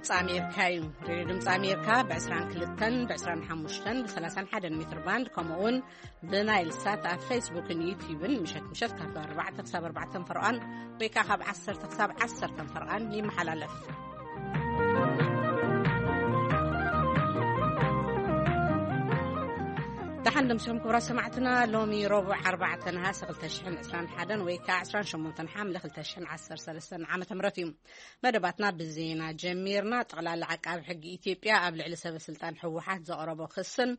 ድምፂ ኣሜሪካ እዩ። ሬድዮ ድምፂ ኣሜሪካ ብ22፣ ብ25፣ ብ31 ሜትር ባንድ፣ ከምኡ እውን ብናይል ሳት ኣብ ፌስቡክን ዩቲዩብን ምሸት ምሸት ካብ 4 ክሳብ 4 ፈርቓን ወይ ከዓ ካብ 10 ክሳብ 10 ፈርቓን ይመሓላለፍ። ደሓን ደምሲኹም ክቡራት ሰማዕትና። ሎሚ ረቡዕ 4 ነሃሰ 2021 ወይ ከዓ 28 ሓምለ 2013 ዓመተ ምህረት እዩ። መደባትና ብዜና ጀሚርና። ጠቕላላ ዓቃቢ ሕጊ ኢትዮጵያ ኣብ ልዕሊ ሰበ ስልጣን ህወሓት ዘቕረቦ ክስን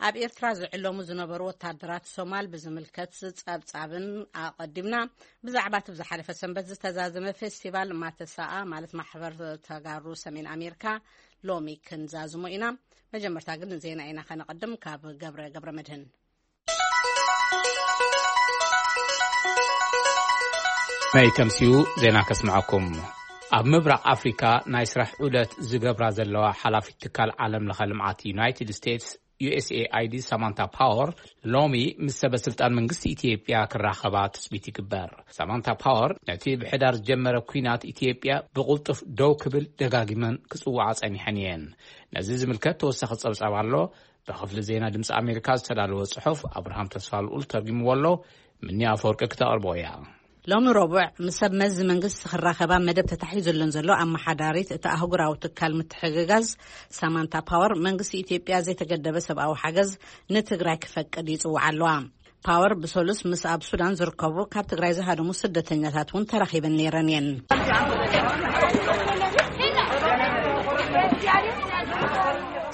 ኣብ ኤርትራ ዝዕለሙ ዝነበሩ ወታደራት ሶማል ብዝምልከት ጸብጻብን ኣቐዲምና። ብዛዕባ እቲ ብዝሓለፈ ሰንበት ዝተዛዘመ ፌስቲቫል ማተሳኣ ማለት ማሕበር ተጋሩ ሰሜን ኣሜሪካ ሎሚ ክንዛዝሞ ኢና። መጀመርታ ግን ዜና ኢና ከነቐድም። ካብ ገብረ ገብረ መድህን። መይ ከምሲኡ ዜና ከስምዐኩም። ኣብ ምብራቕ ኣፍሪካ ናይ ስራሕ ዑደት ዝገብራ ዘለዋ ሓላፊት ትካል ዓለም ለኸ ልምዓት ዩናይትድ ስቴትስ ዩ ኤስ ኤ ኣይ ዲ ሳማንታ ፓወር ሎሚ ምስ ሰበ ስልጣን መንግስቲ ኢትዮጵያ ክራኸባ ትጽቢት ይግበር። ሳማንታ ፓወር ነቲ ብሕዳር ዝጀመረ ኲናት ኢትዮጵያ ብቕልጡፍ ደው ክብል ደጋጊመን ክጽውዓ ጸኒሐን እየን። ነዚ ዝምልከት ተወሳኺ ጸብጻብ ኣሎ። ብክፍሊ ዜና ድምፂ ኣሜሪካ ዝተዳለወ ጽሑፍ ኣብርሃም ተስፋ ልኡል ተርጊምዎ ኣሎ። ምኒ ኣፈወርቂ ክተቕርቦ እያ። ሎሚ ረቡዕ ምስ ሰብ መዚ መንግስቲ ክራኸባ መደብ ተታሒዙለን ዘሎ ኣመሓዳሪት እቲ ኣህጉራዊ ትካል ምትሕግጋዝ ሳማንታ ፓወር፣ መንግስቲ ኢትዮጵያ ዘይተገደበ ሰብኣዊ ሓገዝ ንትግራይ ክፈቅድ ይጽውዓ ኣለዋ። ፓወር ብሰሉስ ምስ ኣብ ሱዳን ዝርከቡ ካብ ትግራይ ዝሃደሙ ስደተኛታት እውን ተራኺበን ነይረን እየን።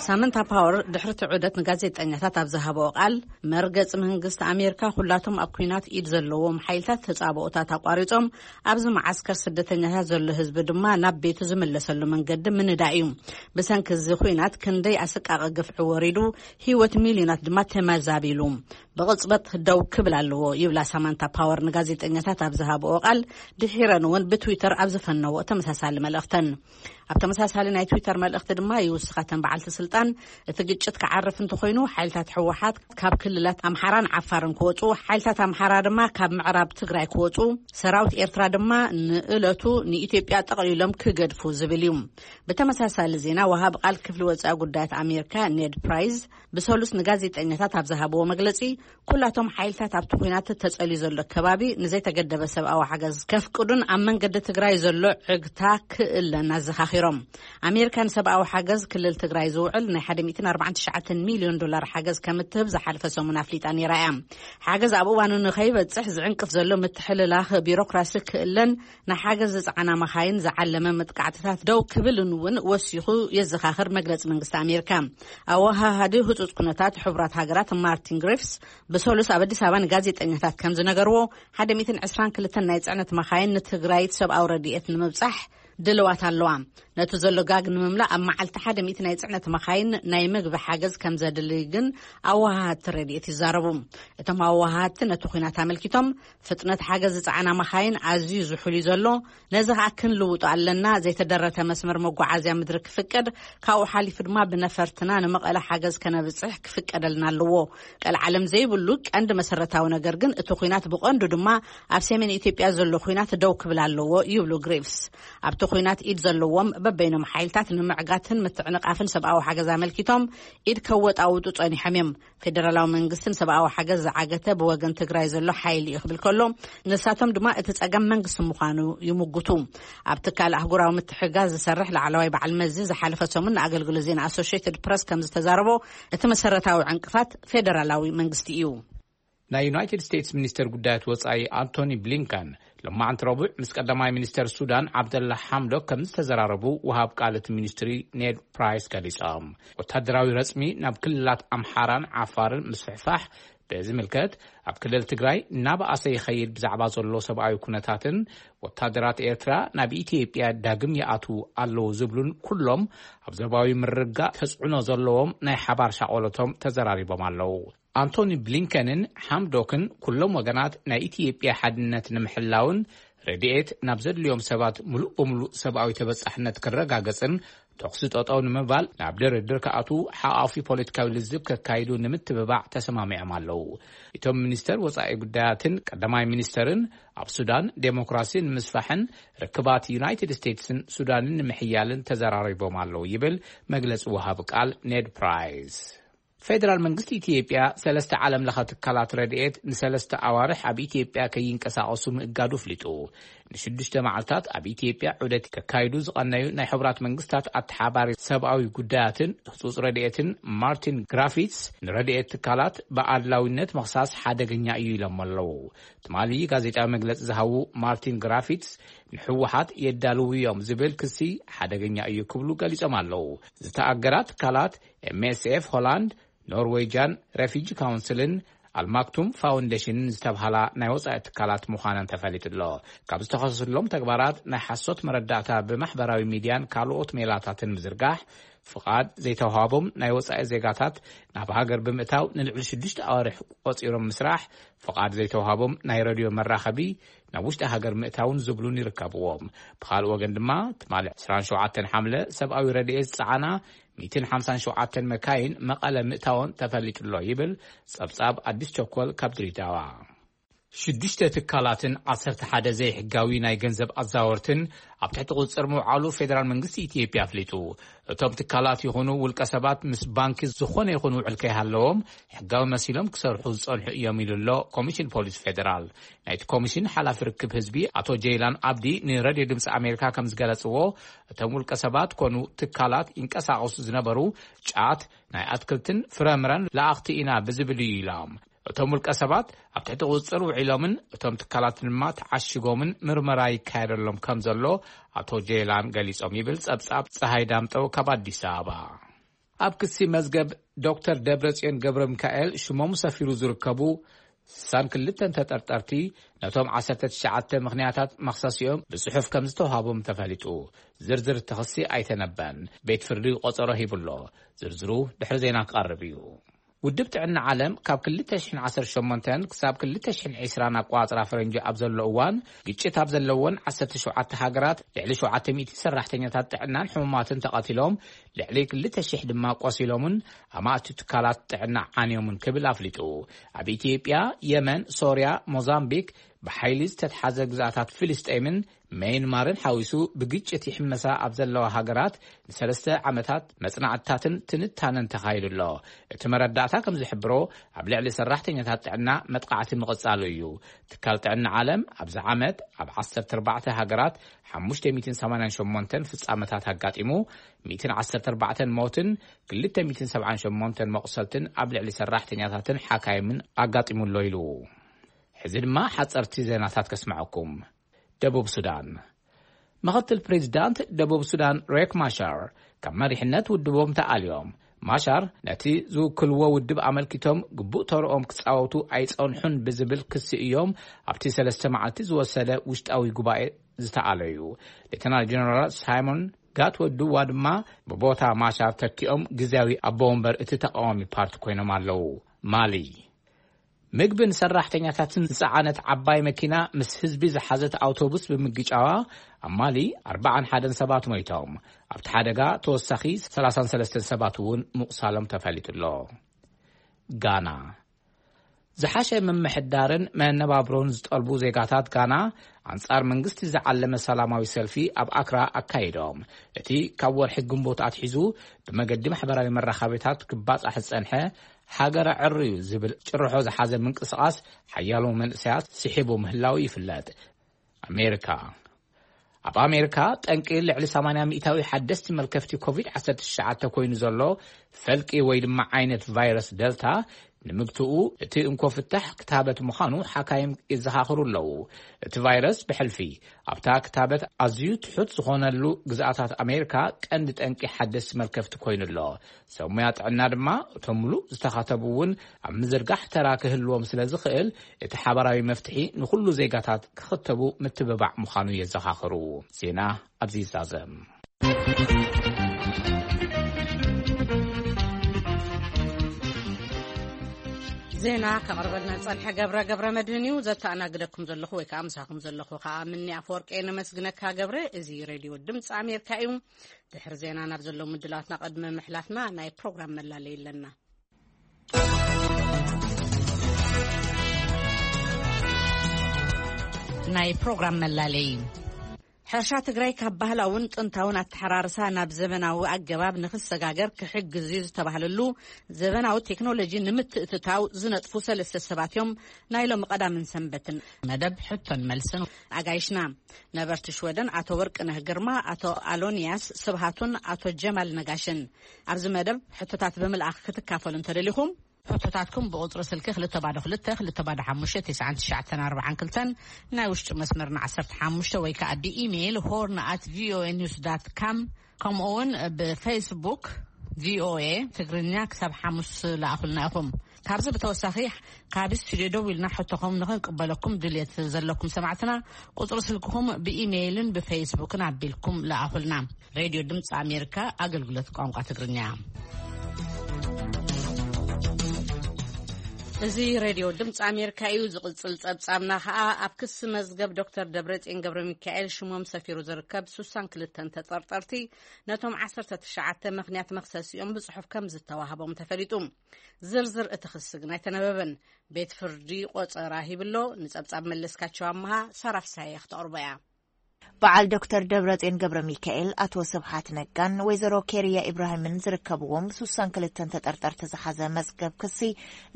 ሳማንታ ፓወር ድሕሪ እቲ ዑደት ንጋዜጠኛታት ኣብ ዝሃበኦ ቃል፣ መርገጺ መንግስቲ ኣሜሪካ ኩላቶም ኣብ ኲናት ኢድ ዘለዎም ሓይልታት ተጻብኦታት ኣቋሪጾም ኣብዚ መዓስከር ስደተኛታት ዘሎ ህዝቢ ድማ ናብ ቤቱ ዝምለሰሉ መንገዲ ምንዳእ እዩ። ብሰንኪ እዚ ኲናት ክንደይ ኣሰቃቂ ግፍዒ ወሪዱ፣ ህይወት ሚልዮናት ድማ ተመዛቢሉ። ብቕጽበት ደው ክብል ኣለዎ ይብላ ሳማንታ ፓወር ንጋዜጠኛታት ኣብ ዝሃብኦ ቃል፣ ድሒረን እውን ብትዊተር ኣብ ዝፈነዎ ተመሳሳሊ መልእኽተን። ኣብ ተመሳሳሊ ናይ ትዊተር መልእኽቲ ድማ ይውስኻተን በዓልቲ ስልጣን፣ እቲ ግጭት ክዓርፍ እንተኾይኑ ሓይልታት ህወሓት ካብ ክልላት ኣምሓራን ዓፋርን ክወፁ፣ ሓይልታት ኣምሓራ ድማ ካብ ምዕራብ ትግራይ ክወፁ፣ ሰራዊት ኤርትራ ድማ ንእለቱ ንኢትዮጵያ ጠቕሊሎም ክገድፉ ዝብል እዩ። ብተመሳሳሊ ዜና ወሃቢ ቃል ክፍሊ ወፃኢ ጉዳያት ኣሜሪካ ኔድ ፕራይዝ ብሰሉስ ንጋዜጠኛታት ኣብ ዝሃብዎ መግለፂ፣ ኩላቶም ሓይልታት ኣብቲ ኲናት ተጸልዩ ዘሎ ከባቢ ንዘይተገደበ ሰብኣዊ ሓገዝ ከፍቅዱን ኣብ መንገዲ ትግራይ ዘሎ ዕግታ ክእለን ኣዘኻኺሮም። ኣሜሪካ ንሰብኣዊ ሓገዝ ክልል ትግራይ ዝውዕል ናይ 149 ሚልዮን ዶላር ሓገዝ ከምትህብ ዝሓለፈ ሰሙን ኣፍሊጣ ነይራ እያ። ሓገዝ ኣብ እዋኑ ንኸይበጽሕ ዝዕንቅፍ ዘሎ ምትሕልላኽ ቢሮክራሲ ክእለን ንሓገዝ ዝጸዓና መኻይን ዝዓለመ መጥቃዕትታት ደው ክብልን እውን ወሲኹ የዘኻኽር መግለጺ መንግስቲ ኣሜሪካ። ኣወሃሃዲ ህጹጽ ኩነታት ሕቡራት ሃገራት ማርቲን ግሪፍስ ብሰሉስ ኣብ ኣዲስ ኣበባ ንጋዜጠኛታት ከም ዝነገርዎ፣ 122 ናይ ጽዕነት መኻይን ንትግራይ ሰብኣዊ ረድኤት ንምብጻሕ ድልዋት ኣለዋ። ነቲ ዘሎ ጋግ ንምምላእ ኣብ መዓልቲ ሓደ ሚእቲ ናይ ጽዕነት መኻይን ናይ ምግቢ ሓገዝ ከም ዘድሊ ግን ኣወሃሃድቲ ረድኤት ይዛረቡ። እቶም ኣወሃሃድቲ ነቲ ኲናት ኣመልኪቶም፣ ፍጥነት ሓገዝ ዝጸዓና መኻይን ኣዝዩ ዝሑል እዩ ዘሎ፣ ነዚ ከኣ ክንልውጦ ኣለና፣ ዘይተደረተ መስመር መጓዓዝያ ምድሪ ክፍቀድ፣ ካብኡ ሓሊፉ ድማ ብነፈርትና ንመቐለ ሓገዝ ከነብጽሕ ክፍቀደልና ኣለዎ። ቀልዓለም ዘይብሉ ቀንዲ መሰረታዊ ነገር ግን እቲ ኲናት ብቐንዱ ድማ ኣብ ሰሜን ኢትዮጵያ ዘሎ ኲናት ደው ክብል ኣለዎ ይብሉ ግሪፍስ። ኣብቲ ኲናት ኢድ ዘለዎም በበይኖም ሓይልታት ንምዕጋትን ምትዕንቓፍን ሰብኣዊ ሓገዝ ኣመልኪቶም ኢድ ከወጣውጡ ጸኒሖም እዮም። ፌደራላዊ መንግስትን ሰብኣዊ ሓገዝ ዝዓገተ ብወገን ትግራይ ዘሎ ሓይሊ እዩ ክብል ከሎ፣ ንሳቶም ድማ እቲ ጸገም መንግስቲ ምዃኑ ይምጉቱ። ኣብ ትካል ኣህጉራዊ ምትሕጋዝ ዝሰርሕ ላዕለዋይ በዓል መዚ ዝሓለፈ ሰሙን ንኣገልግሎት ዜና ኣሶሽየትድ ፕረስ ከም ዝተዛረቦ፣ እቲ መሰረታዊ ዕንቅፋት ፌደራላዊ መንግስቲ እዩ። ናይ ዩናይትድ ስቴትስ ሚኒስተር ጉዳያት ወጻኢ ኣንቶኒ ብሊንከን ሎማዓንቲ ረቡዕ ምስ ቀዳማይ ሚኒስተር ሱዳን ዓብደላ ሓምዶክ ከም ዝተዘራረቡ ወሃብ ቃል እቲ ሚኒስትሪ ኔድ ፕራይስ ገሊጾም። ወታደራዊ ረጽሚ ናብ ክልላት ኣምሓራን ዓፋርን ምስፍሕፋሕ፣ በዚ ምልከት ኣብ ክልል ትግራይ እናበኣሰ ይኸይድ ብዛዕባ ዘሎ ሰብኣዊ ኩነታትን ወታደራት ኤርትራ ናብ ኢትዮጵያ ዳግም ይኣትዉ ኣለዉ ዝብሉን ኩሎም ኣብ ዞባዊ ምርግጋእ ተጽዕኖ ዘለዎም ናይ ሓባር ሻቆሎቶም ተዘራሪቦም ኣለዉ። ኣንቶኒ ብሊንከንን ሓምዶክን ኩሎም ወገናት ናይ ኢትዮጵያ ሓድነት ንምሕላውን ረድኤት ናብ ዘድልዮም ሰባት ምሉእ ብምሉእ ሰብኣዊ ተበጻሕነት ክረጋገጽን ተኹሲ ጠጠው ንምባል ናብ ድርድር ክኣትዉ ሓቋፊ ፖለቲካዊ ልዝብ ከካይዱ ንምትብባዕ ተሰማሚዖም ኣለዉ። እቶም ሚኒስተር ወጻኢ ጉዳያትን ቀዳማይ ሚኒስተርን ኣብ ሱዳን ዴሞክራሲ ንምስፋሕን ርክባት ዩናይትድ ስቴትስን ሱዳንን ንምሕያልን ተዘራሪቦም ኣለዉ ይብል መግለጺ ወሃቢ ቃል ኔድ ፕራይስ። ፌደራል መንግስቲ ኢትዮጵያ ሰለስተ ዓለም ለኸ ትካላት ረድኤት ንሰለስተ ኣዋርሕ ኣብ ኢትዮጵያ ከይንቀሳቐሱ ምእጋዱ ኣፍሊጡ። ንሽዱሽተ መዓልታት ኣብ ኢትዮጵያ ዑደት ከካይዱ ዝቐነዩ ናይ ሕቡራት መንግስታት ኣተሓባሪ ሰብኣዊ ጉዳያትን ህጹጽ ረድኤትን ማርቲን ግራፊትስ ንረድኤት ትካላት ብኣድላዊነት ምኽሳስ ሓደገኛ እዩ ኢሎም ኣለዉ። ትማሊ ጋዜጣዊ መግለጺ ዝሃቡ ማርቲን ግራፊትስ ንህወሓት የዳልዉ እዮም ዝብል ክሲ ሓደገኛ እዩ ክብሉ ገሊጾም ኣለዉ። ዝተኣገዳ ትካላት ኤምኤስኤፍ ሆላንድ፣ ኖርዌይጃን ሬፊጂ ካውንስልን ኣልማክቱም ፋውንዴሽንን ዝተብሃላ ናይ ወጻኢ ትካላት ምዃነን ተፈሊጡ ኣሎ። ካብ ዝተኸሰሱሎም ተግባራት ናይ ሓሶት መረዳእታ ብማሕበራዊ ሚድያን ካልኦት ሜላታትን ምዝርጋሕ፣ ፍቓድ ዘይተዋሃቦም ናይ ወጻኢ ዜጋታት ናብ ሃገር ብምእታው ንልዕሊ ሽዱሽተ ኣዋርሕ ቆጺሮም ምስራሕ፣ ፍቓድ ዘይተዋሃቦም ናይ ረድዮ መራኸቢ ናብ ውሽጢ ሃገር ምእታውን ዝብሉን ይርከብዎም። ብኻልእ ወገን ድማ ትማሊ ዕስራን ሸውዓተን ሓምለ ሰብኣዊ ረድኤት ዝጸዓና ሚእትን ሓምሳን ሸውዓተን መካይን መቐለ ምእታወን ተፈሊጡ ኣሎ ይብል ጸብጻብ ኣዲስ ቸኮል ካብ ድሬዳዋ። ሽዱሽተ ትካላትን ዓሰርተ ሓደ ዘይሕጋዊ ናይ ገንዘብ ኣዛወርትን ኣብ ትሕቲ ቁጽጽር ምውዓሉ ፌደራል መንግስቲ ኢትዮጵያ ኣፍሊጡ። እቶም ትካላት ይኹኑ ውልቀ ሰባት ምስ ባንኪ ዝኾነ ይኹን ውዕል ከይሃለዎም ሕጋዊ መሲሎም ክሰርሑ ዝጸንሑ እዮም ኢሉ ኣሎ ኮሚሽን ፖሊስ ፌደራል። ናይቲ ኮሚሽን ሓላፊ ርክብ ህዝቢ ኣቶ ጀይላን ኣብዲ ንሬድዮ ድምፂ ኣሜሪካ ከም ዝገለጽዎ፣ እቶም ውልቀ ሰባት ኮኑ ትካላት ይንቀሳቐሱ ዝነበሩ ጫት፣ ናይ ኣትክልትን ፍረምረን ለኣኽቲ ኢና ብዝብል እዩ ኢሎም። እቶም ውልቀ ሰባት ኣብ ትሕቲ ቁፅፅር ውዒሎምን እቶም ትካላት ድማ ተዓሽጎምን ምርመራ ይካየደሎም ከም ዘሎ ኣቶ ጄላን ገሊጾም ይብል ጸብጻብ ፀሃይ ዳምጠው ካብ ኣዲስ ኣበባ። ኣብ ክሲ መዝገብ ዶክተር ደብረጽዮን ገብረ ሚካኤል ሽሞም ሰፊሩ ዝርከቡ ስሳን ክልተን ተጠርጠርቲ ነቶም ዓሰርተ ትሽዓተ ምኽንያታት መኽሰሲኦም ብጽሑፍ ከም ዝተዋሃቦም ተፈሊጡ። ዝርዝር እቲ ክሲ ኣይተነበን። ቤት ፍርዲ ቆጸሮ ሂቡሎ። ዝርዝሩ ድሕሪ ዜና ክቐርብ እዩ። ውድብ ጥዕና ዓለም ካብ ክልተ ሽሕን ዓሰርተ ሸሞንተን ክሳብ ክልተ ሽሕን ዕስራን ኣቆጻጽራ ፈረንጂ ኣብ ዘሎ እዋን፣ ግጭት ኣብ ዘለወን ዓሰርተ ሸውዓተ ሃገራት ልዕሊ ሸውዓተ ሚእቲ ሰራሕተኛታት ጥዕናን ሕሙማትን ተቐቲሎም፣ ልዕሊ ክልተ ሽሕ ድማ ቆሲሎምን ኣማእቲ ትካላት ጥዕና ዓንዮምን ክብል ኣፍሊጡ። ኣብ ኢትዮጵያ፣ የመን፣ ሶርያ፣ ሞዛምቢክ፣ ብሓይሊ ዝተትሓዘ ግዝኣታት ፍልስጤምን መየንማርን ሓዊሱ ብግጭት ይሕመሳ ኣብ ዘለዋ ሃገራት ንሰለስተ ዓመታት መጽናዕትታትን ትንታነን ተኻይዱ ኣሎ። እቲ መረዳእታ ከም ዝሕብሮ፣ ኣብ ልዕሊ ሰራሕተኛታት ጥዕና መጥቃዕቲ ምቕጻሉ እዩ። ትካል ጥዕና ዓለም ኣብዚ ዓመት ኣብ ዓሰርተ ኣርባዕተ ሃገራት ሓሙሽተ ሚእትን ሰማንያን ሸሞንተን ፍጻመታት ኣጋጢሙ፣ ሚእትን ዓሰርተ ኣርባዕተን ሞትን ክልተ ሚእትን ሰብዓን ሸሞንተን መቑሰልትን ኣብ ልዕሊ ሰራሕተኛታትን ሓካይምን ኣጋጢሙ ኣሎ ኢሉ። ሕዚ ድማ ሓጸርቲ ዜናታት ከስምዐኩም። ደቡብ ሱዳን። ምኽትል ፕሬዚዳንት ደቡብ ሱዳን ሬክ ማሻር ካብ መሪሕነት ውድቦም ተኣልዮም። ማሻር ነቲ ዝውክልዎ ውድብ ኣመልኪቶም ግቡእ ተርኦም ክጻወቱ ኣይጸንሑን ብዝብል ክሲ እዮም ኣብቲ ሰለስተ መዓልቲ ዝወሰደ ውሽጣዊ ጉባኤ ዝተኣለዩ። ሌተናል ጀነራል ሳይሞን ጋትወዱዋ ድማ ብቦታ ማሻር ተኪኦም ግዝያዊ ኣቦ ወንበር እቲ ተቃዋሚ ፓርቲ ኮይኖም ኣለዉ። ማሊ። ምግብን ሰራሕተኛታትን ዝጸዓነት ዓባይ መኪና ምስ ህዝቢ ዝሓዘት ኣውቶቡስ ብምግጫዋ ኣብ ማሊ ኣርባዓን ሓደን ሰባት ሞይቶም። ኣብቲ ሓደጋ ተወሳኺ ሰላሳን ሰለስተን ሰባት እውን ምቑሳሎም ተፈሊጡ ኣሎ። ጋና። ዝሓሸ ምምሕዳርን መነባብሮን ዝጠልቡ ዜጋታት ጋና ኣንጻር መንግስቲ ዝዓለመ ሰላማዊ ሰልፊ ኣብ ኣክራ ኣካይዶም። እቲ ካብ ወርሒ ግንቦት ኣትሒዙ ብመገዲ ማሕበራዊ መራኸቢታት ክባጻሕ ዝጸንሐ ሃገረ ዕርዩ ዝብል ጭርሖ ዝሓዘ ምንቅስቓስ ሓያሎ መንእሰያት ስሒቡ ምህላው ይፍለጥ። ኣሜሪካ። ኣብ ኣሜሪካ ጠንቂ ልዕሊ ሰማንያ ሚእታዊ ሓደስቲ መልከፍቲ ኮቪድ ዓሰርተ ትሽዓተ ኮይኑ ዘሎ ፈልቂ ወይ ድማ ዓይነት ቫይረስ ደልታ ንምግትኡ እቲ እንኮ ፍታሕ ክታበት ምዃኑ ሓካይም ይዘኻኽሩ ኣለዉ። እቲ ቫይረስ ብሕልፊ ኣብታ ክታበት ኣዝዩ ትሑት ዝኾነሉ ግዝኣታት ኣሜሪካ ቀንዲ ጠንቂ ሓደስቲ መልከፍቲ ኮይኑ ኣሎ። ሰብ ሞያ ጥዕና ድማ እቶም ምሉእ ዝተኸተቡ እውን ኣብ ምዝርጋሕ ተራ ክህልዎም ስለ ዝኽእል፣ እቲ ሓባራዊ መፍትሒ ንኹሉ ዜጋታት ክኽተቡ ምትብባዕ ምዃኑ የዘኻኽሩ። ዜና ኣብዚ ይዛዘም። ዜና ከቕርበልና ዝጸንሐ ገብረ ገብረ መድህን እዩ። ዘተኣናግደኩም ዘለኹ ወይ ከዓ ምሳኹም ዘለኹ ከዓ ምኒ ኣፈወርቂ። ነመስግነካ ገብረ። እዚ ሬድዮ ድምፂ ኣሜሪካ እዩ። ድሕሪ ዜና ናብ ዘለዉ ምድላትና ቅድሚ ምሕላፍና ናይ ፕሮግራም መላለይ ኣለና። ናይ ፕሮግራም መላለይ። ሕርሻ ትግራይ ካብ ባህላውን ጥንታውን ኣተሓራርሳ ናብ ዘበናዊ ኣገባብ ንክሰጋገር ክሕግዝ እዩ ዝተባህለሉ ዘበናዊ ቴክኖሎጂ ንምትእትታው ዝነጥፉ ሰለስተ ሰባት እዮም ናይ ሎሚ ቀዳምን ሰንበትን መደብ ሕቶን መልስን ኣጋይሽና። ነበርቲ ሽወደን ኣቶ ወርቅነህ ግርማ፣ ኣቶ ኣሎንያስ ስብሃቱን ኣቶ ጀማል ነጋሽን። ኣብዚ መደብ ሕቶታት ብምልኣኽ ክትካፈሉ እንተደሊኹም፣ ሕቶታትኩም ብቁጽሪ ስልኪ ክልተ ባዶ ክልተ፣ ክልተ ባዶ ሓሙሽተ፣ ትሽዓን ትሽዓተን ኣርባዓን ክልተን፣ ናይ ውሽጢ መስመርና ዓሰርተ ሓሙሽተ ወይ ከዓ ብኢሜይል ሆርን ኣት ቪኦኤ ኒውስ ዳት ካም፣ ከምኡ እውን ብፌስቡክ ቪኦኤ ትግርኛ ክሳብ ሓሙስ ለኣኹልና ኢኹም። ካብዚ ብተወሳኺ ካብ ስቱዲዮ ደው ኢልና ሕቶኹም ንኽንቅበለኩም ድልየት ዘለኩም ሰማዕትና ቁጽሪ ስልክኹም ብኢሜይልን ብፌስቡክን ኣቢልኩም ለኣኹልና። ሬድዮ ድምፂ ኣሜሪካ፣ ኣገልግሎት ቋንቋ ትግርኛ። እዚ ሬድዮ ድምፂ ኣሜሪካ እዩ። ዝቕጽል ጸብጻብና ኸኣ ኣብ ክሲ መዝገብ ዶክተር ደብረጽዮን ገብረ ሚካኤል ሽሞም ሰፊሩ ዝርከብ ስሳን ክልተን ተጠርጠርቲ ነቶም ዓሰርተ ትሽዓተ ምኽንያት መኽሰሲኦም ብጽሑፍ ከም ዝተዋህቦም ተፈሊጡ። ዝርዝር እቲ ክሲ ግን ኣይተነበበን። ቤት ፍርዲ ቆጸራ ሂብሎ። ንጸብጻብ መለስካቸው ኣመሃ ሰራፍ ሳየ ክተቕርቦ እያ። በዓል ዶክተር ደብረጽዮን ገብረ ሚካኤል፣ ኣቶ ስብሓት ነጋን ወይዘሮ ኬርያ ኢብራሂምን ዝርከብዎም ስሳን ክልተን ተጠርጠርቲ ዝሓዘ መዝገብ ክሲ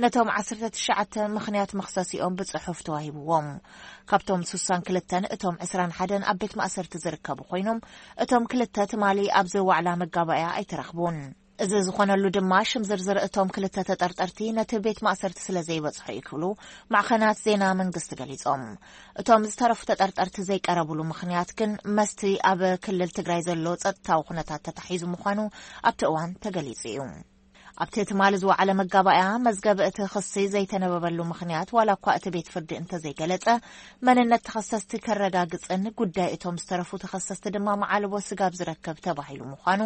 ነቶም ዓሰርተ ትሽዓተ ምኽንያት መኽሰሲኦም ብጽሑፍ ተዋሂብዎም። ካብቶም ስሳን ክልተን እቶም ዕስራን ሓደን ኣብ ቤት ማእሰርቲ ዝርከቡ ኮይኖም፣ እቶም ክልተ ትማሊ ኣብዚ ዋዕላ መጋባእያ ኣይተረኽቡን። እዚ ዝኾነሉ ድማ ሽም ዝርዝር እቶም ክልተ ተጠርጠርቲ ነቲ ቤት ማእሰርቲ ስለ ዘይበጽሖ እዩ ክብሉ ማዕኸናት ዜና መንግስቲ ገሊጾም። እቶም ዝተረፉ ተጠርጠርቲ ዘይቀረብሉ ምኽንያት ግን መስቲ ኣብ ክልል ትግራይ ዘሎ ጸጥታዊ ኩነታት ተታሒዙ ምዃኑ ኣብቲ እዋን ተገሊጹ እዩ። ኣብቲ ትማሊ ዝወዓለ መጋባእያ መዝገብ እቲ ክሲ ዘይተነበበሉ ምኽንያት ዋላ እኳ እቲ ቤት ፍርዲ እንተዘይገለጸ፣ መንነት ተኸሰስቲ ከረጋግጽን ጉዳይ እቶም ዝተረፉ ተኸሰስቲ ድማ መዓልቦ ስጋብ ዝረከብ ተባሂሉ ምዃኑ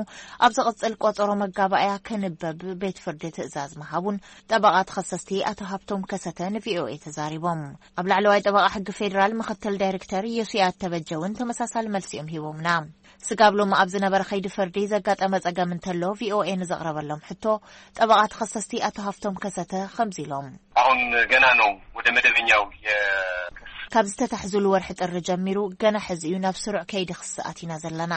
ኣብ ዝቕጽል ቆጸሮ መጋባእያ ክንበብ ቤት ፍርዲ ትእዛዝ ምሃቡን ጠበቓ ተኸሰስቲ ኣቶ ሃብቶም ከሰተ ንቪኦኤ ተዛሪቦም። ኣብ ላዕለዋይ ጠበቓ ሕጊ ፌዴራል ምኽትል ዳይሬክተር ዮስያት ተበጀ እውን ተመሳሳሊ መልሲ እዮም ሂቦምና። ስጋብ ሎሚ ኣብ ዝነበረ ከይዲ ፍርዲ ዘጋጠመ ጸገም እንተሎ ቪኦኤ ንዘቕረበሎም ሕቶ ጠበቓ ተኸሰስቲ ኣቶ ሃብቶም ከሰተ ከምዚ ኢሎም። አሁን ገና ነው ወደ መደበኛው የክስ ካብ ዝተታሕዙሉ ወርሒ ጥሪ ጀሚሩ ገና ሕዚ እዩ ናብ ስሩዕ ከይዲ ክሲ ኣቲና ዘለና።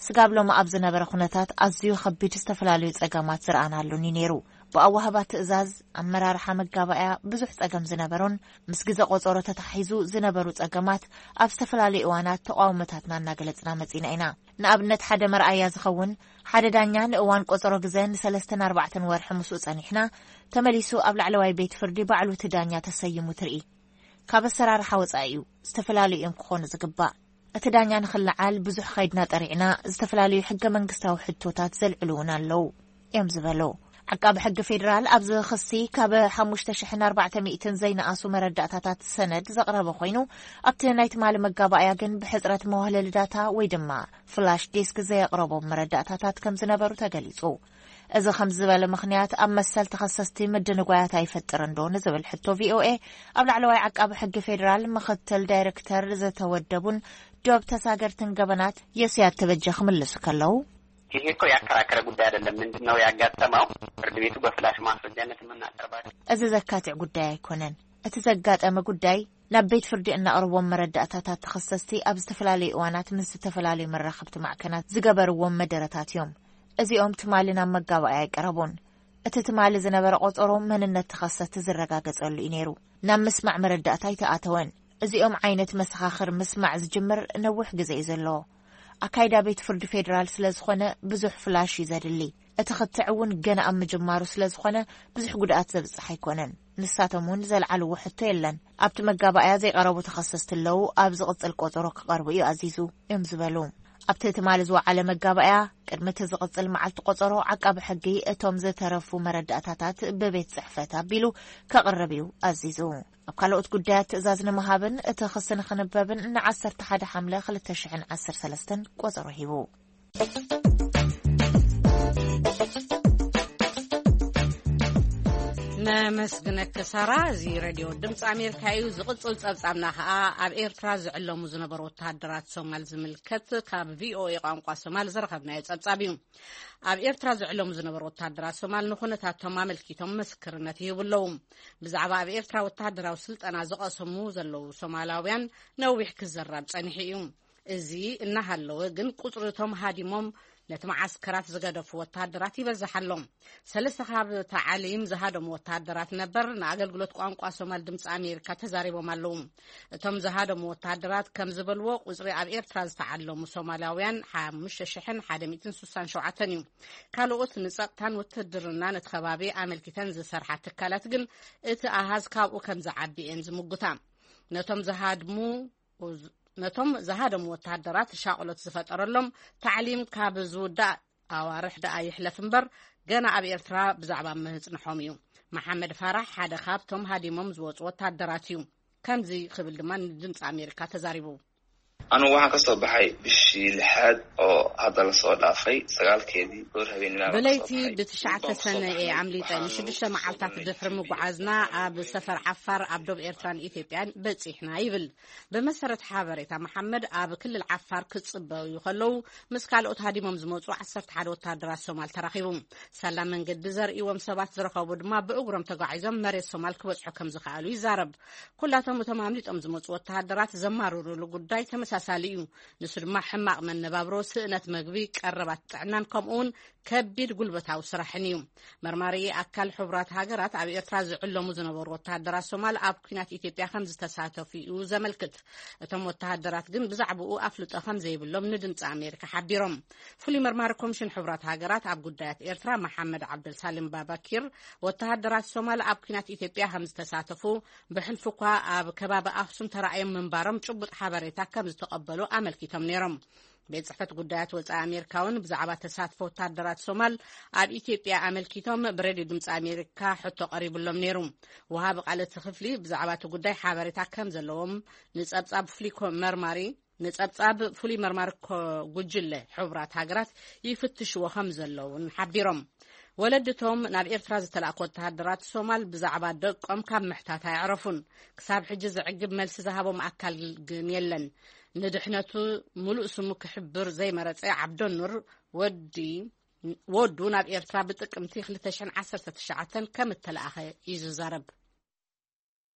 ስጋብ ሎሚ ኣብ ዝነበረ ኩነታት ኣዝዩ ከቢድ ዝተፈላለዩ ጸገማት ዝረኣናሉን እዩ ነይሩ። ብኣዋህባ ትእዛዝ፣ ኣመራርሓ መጋባእያ ብዙሕ ጸገም ዝነበሮን ምስ ግዘ ቆጸሮ ተታሒዙ ዝነበሩ ጸገማት ኣብ ዝተፈላለዩ እዋናት ተቃውሞታትና እናገለጽና መጺና ኢና። ንኣብነት ሓደ መርኣያ ዝኸውን ሓደ ዳኛ ንእዋን ቆጸሮ ግዘ ንሰለስተን ኣርባዕተን ወርሒ ምስኡ ጸኒሕና ተመሊሱ ኣብ ላዕለዋይ ቤት ፍርዲ ባዕሉ እቲ ዳኛ ተሰይሙ ትርኢ። ካብ ኣሰራርሓ ወጻኢ እዩ። ዝተፈላለዩ እዮም ክኾኑ ዝግባእ። እቲ ዳኛ ንኽለዓል ብዙሕ ኸይድና ጠሪዕና፣ ዝተፈላለዩ ሕገ መንግስታዊ ሕቶታት ዘልዕሉ እውን ኣለዉ እዮም ዝበሉ። ዓቃቢ ሕጊ ፌዴራል ኣብዚ ክሲ ካብ ሓሙሽተ ሽሕን ኣርባዕተ ሚእትን ዘይነኣሱ መረዳእታታት ሰነድ ዘቕረበ ኮይኑ፣ ኣብቲ ናይ ትማሊ መጋባእያ ግን ብሕጽረት መዋህለሊ ዳታ ወይ ድማ ፍላሽ ዲስክ ዘየቕረቦም መረዳእታታት ከም ዝነበሩ ተገሊጹ። እዚ ከም ዝበለ ምኽንያት ኣብ መሰል ተኸሰስቲ ምድንጓያት ኣይፈጥርን ዶ ንዝብል ሕቶ ቪኦኤ ኣብ ላዕለዋይ ዓቃቢ ሕጊ ፌዴራል ምኽትል ዳይሬክተር ዝተወደቡን ዶብ ተሳገርትን ገበናት ዮስያት ተበጀ ክምልሱ ከለዉ፣ ይሄ እኮ ያከራከረ ጉዳይ አይደለም። ምንድን ነው ያጋጠመው? ፍርድ ቤቱ በፍላሽ ማስረጃነት የምናቀርባቸው እዚ ዘካትዕ ጉዳይ ኣይኮነን። እቲ ዘጋጠመ ጉዳይ ናብ ቤት ፍርዲ እነቕርቦም መረዳእታታት ተኸሰስቲ ኣብ ዝተፈላለዩ እዋናት ምስ ዝተፈላለዩ መራኸብቲ ማዕከናት ዝገበርዎም መደረታት እዮም። እዚኦም ትማሊ ናብ መጋባእያ ኣይቀረቡን። እቲ ትማሊ ዝነበረ ቆጸሮ መንነት ተኸሰስቲ ዝረጋገጸሉ እዩ ነይሩ። ናብ ምስማዕ መረዳእታ ኣይተኣተወን። እዚኦም ዓይነት መሰኻኽር ምስማዕ ዝጅምር ነዊሕ ግዜ እዩ ዘለዎ። ኣካይዳ ቤት ፍርዲ ፌዴራል ስለ ዝኾነ ብዙሕ ፍላሽ እዩ ዘድሊ። እቲ ክትዕ እውን ገና ኣብ ምጅማሩ ስለ ዝኾነ ብዙሕ ጉድኣት ዘብጽሕ ኣይኮነን። ንሳቶም እውን ዘልዓልዎ ሕቶ የለን። ኣብቲ መጋባእያ ዘይቐረቡ ተኸሰስቲ ኣለዉ፣ ኣብ ዝቕጽል ቆጸሮ ክቐርቡ እዩ ኣዚዙ እዮም ዝበሉ። ኣብቲ ትማሊ ዝወዓለ መጋባእያ ቅድሚ እቲ ዝቕጽል መዓልቲ ቆጸሮ ዓቃቢ ሕጊ እቶም ዝተረፉ መረዳእታታት ብቤት ጽሕፈት ኣቢሉ ከቕርብ እዩ ኣዚዙ። ኣብ ካልኦት ጉዳያት ትእዛዝ ንምሃብን እቲ ክሲ ንኽንበብን ንዓሰርተ ሓደ ሓምለ ክልተ ሽሕን ዓሰርተ ሰለስተን ቆጸሮ ሂቡ። ኣመስግነኪ ሳራ። እዚ ሬድዮ ድምፂ ኣሜሪካ እዩ። ዝቕፅል ፀብፃብና ከዓ ኣብ ኤርትራ ዝዕለሙ ዝነበሩ ወተሃደራት ሶማል ዝምልከት ካብ ቪኦኤ ቋንቋ ሶማል ዝረኸብናዮ ፀብፃብ እዩ። ኣብ ኤርትራ ዝዕለሙ ዝነበሩ ወተሃደራት ሶማል ንኩነታቶም ኣመልኪቶም ምስክርነት ይህቡ ኣለዉ። ብዛዕባ ኣብ ኤርትራ ወተሃደራዊ ስልጠና ዝቐሰሙ ዘለዉ ሶማላውያን ነዊሕ ክዘራብ ጸኒሑ እዩ። እዚ እናሃለወ ግን ቁጽሪ እቶም ሃዲሞም ነቲ መዓስከራት ዝገደፉ ወተሃደራት ይበዝሕ ኣሎ። ሰለስተ ካብ ታዕሊም ዝሃደሙ ወተሃደራት ነበር ንኣገልግሎት ቋንቋ ሶማል ድምፂ ኣሜሪካ ተዛሪቦም ኣለዉ። እቶም ዝሃደሙ ወተሃደራት ከም ዝበልዎ ቁጽሪ ኣብ ኤርትራ ዝተዓለሙ ሶማላውያን ሓሙሽተ ሽሕን ሓደ ሚእትን ስሳን ሸውዓተን እዩ። ካልኦት ንጸጥታን ውትድርና ነቲ ከባቢ ኣመልኪተን ዝሰርሓ ትካላት ግን እቲ ኣሃዝ ካብኡ ከም ዝዓቢ እየን ዝምጉታ። ነቶም ዝሃድሙ ነቶም ዝሃደሙ ወተሃደራት ሻቕሎት ዝፈጠረሎም ታዕሊም ካብ ዝውዳእ ኣዋርሕ ደኣ ይሕለፍ እምበር ገና ኣብ ኤርትራ ብዛዕባ ምህጽንሖም እዩ። መሓመድ ፋራሕ ሓደ ካብቶም ሃዲሞም ዝወጹ ወተሃደራት እዩ። ከምዚ ክብል ድማ ንድምፂ ኣሜሪካ ተዛሪቡ። Anu waxaan ka soo baxay bishii lixaad oo hadda la soo dhaafay sagaalkeedii goor habeenimo. ብለይቲ ብትሽዓተ ሰነ እየ ኣምሊጠ። ንሽዱሽተ መዓልታት ድሕሪ ምጉዓዝና ኣብ ሰፈር ዓፋር ኣብ ዶብ ኤርትራን ኢትዮጵያን በጺሕና ይብል። ብመሰረት ሓበሬታ መሓመድ ኣብ ክልል ዓፋር ክጽበዩ ከለዉ ምስ ካልኦት ሃዲሞም ዝመጹ ዓሰርተ ሓደ ወተሃደራት ሶማል ተራኺቡ። ሳላ መንገዲ ዘርእዎም ሰባት ዝረኸቡ ድማ ብእግሮም ተጓዒዞም መሬት ሶማል ክበጽሑ ከም ዝኸኣሉ ይዛረብ። ኩላቶም እቶም ኣምሊጦም ዝመጹ ወተሃደራት ዘማርሩሉ ጉዳይ ተመሳሳሊ እዩ። ንሱ ድማ ሕማቕ መነባብሮ፣ ስእነት መግቢ፣ ቀረባት ጥዕናን ከምኡውን ከቢድ ጉልበታዊ ስራሕን እዩ። መርማሪ ኣካል ሕቡራት ሃገራት ኣብ ኤርትራ ዝዕለሙ ዝነበሩ ወተሃደራት ሶማል ኣብ ኲናት ኢትዮጵያ ከም ዝተሳተፉ እዩ ዘመልክት። እቶም ወተሃደራት ግን ብዛዕባኡ ኣፍልጦ ከም ዘይብሎም ንድምፂ ኣሜሪካ ሓቢሮም። ፍሉይ መርማሪ ኮሚሽን ሕቡራት ሃገራት ኣብ ጉዳያት ኤርትራ መሓመድ ዓብደልሳልም ባባኪር ወተሃደራት ሶማል ኣብ ኲናት ኢትዮጵያ ከም ዝተሳተፉ ብሕልፊ እኳ ኣብ ከባቢ ኣክሱም ተራእዮም ምንባሮም ጭቡጥ ሓበሬታ ከም ዝተቐበሉ ኣመልኪቶም ነይሮም። ቤት ጽሕፈት ጉዳያት ወጻኢ ኣሜሪካ እውን ብዛዕባ ተሳትፎ ወታደራት ሶማል ኣብ ኢትዮጵያ ኣመልኪቶም ብሬድዮ ድምፂ ኣሜሪካ ሕቶ ቀሪብሎም ነይሩ። ወሃቢ ቃል እቲ ክፍሊ ብዛዕባ እቲ ጉዳይ ሓበሬታ ከም ዘለዎም ንጸብጻብ ፍሉይ ኮ-፣ መርማሪ ንጸብጻብ ፍሉይ መርማሪ ኮ-፣ ጉጅለ ሕቡራት ሃገራት ይፍትሽዎ ከም ዘለውን ሓቢሮም። ወለድቶም ናብ ኤርትራ ዝተላእኩ ወተሃደራት ሶማል ብዛዕባ ደቆም ካብ ምሕታት ኣየዕረፉን። ክሳብ ሕጂ ዘዕግብ መልሲ ዝሃቦም ኣካል ግን የለን። ንድሕነቱ ምሉእ ስሙ ክሕብር ዘይመረጸ ዓብደኑር ወዲ፣ ወዱ ናብ ኤርትራ ብጥቅምቲ ክልተ ሽሕን ዓሰርተ ትሽዓተን ከም እተላእኸ እዩ ዝዛረብ።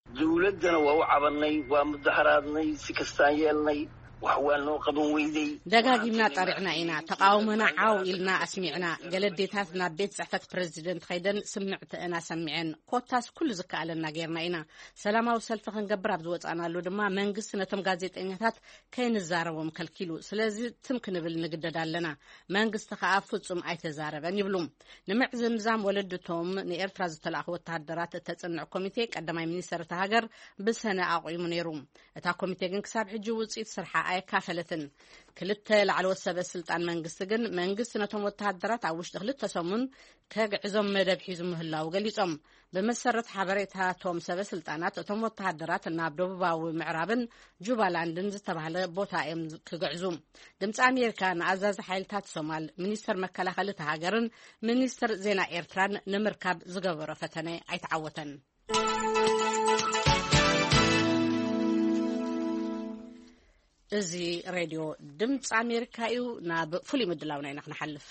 ዝውለድ ዘነዋው ዓበነይ ዋ ምዛህራርነይ ስክስታየልነይ ዋሕዋኖ ቅብን ወይደይ ደጋጊምና ጠሪዕና ኢና። ተቃውሞና ዓው ኢልና ኣስሚዕና። ገለ ኣዴታት ናብ ቤት ጽሕፈት ፕረዚደንት ከይደን ስምዕተአን ኣሰሚዐን። ኮታስ ኩሉ ዝከኣለና ጌርና ኢና። ሰላማዊ ሰልፊ ክንገብር ኣብ ዝወጻናሉ ድማ መንግስቲ ነቶም ጋዜጠኛታት ከይንዛረቦም ከልኪሉ። ስለዚ ትም ክንብል ንግደድ ኣለና። መንግስቲ ከኣ ፍጹም ኣይተዛረበን ይብሉ። ንምዕዝምዛም ወለድቶም ንኤርትራ ዝተላእኹ ወተሃደራት እተጽንዕ ኮሚቴ ቀዳማይ ሚኒስተር እታ ሃገር ብሰነ ኣቑሙ ነይሩ። እታ ኮሚቴ ግን ክሳብ ሕጂ ውጽኢት ስርሓ ኣየካፈለትን። ክልተ ላዕለዎት ሰበ ስልጣን መንግስቲ ግን መንግስቲ ነቶም ወተሃደራት ኣብ ውሽጢ ክልተ ሰሙን ከግዕዞም መደብ ሒዙ ምህላዉ ገሊጾም። ብመሰረት ሓበሬታቶም ሰበ ስልጣናት እቶም ወተሃደራት ናብ ደቡባዊ ምዕራብን ጁባላንድን ዝተባህለ ቦታ እዮም ክግዕዙ። ድምፂ ኣሜሪካ ንኣዛዚ ሓይልታት ሶማል ሚኒስተር መከላኸሊ እታ ሃገርን ሚኒስተር ዜና ኤርትራን ንምርካብ ዝገበሮ ፈተነ ኣይተዓወተን። እዚ ሬድዮ ድምፂ ኣሜሪካ እዩ። ናብ ፍሉይ ምድላውና ኢና ክንሓልፍ።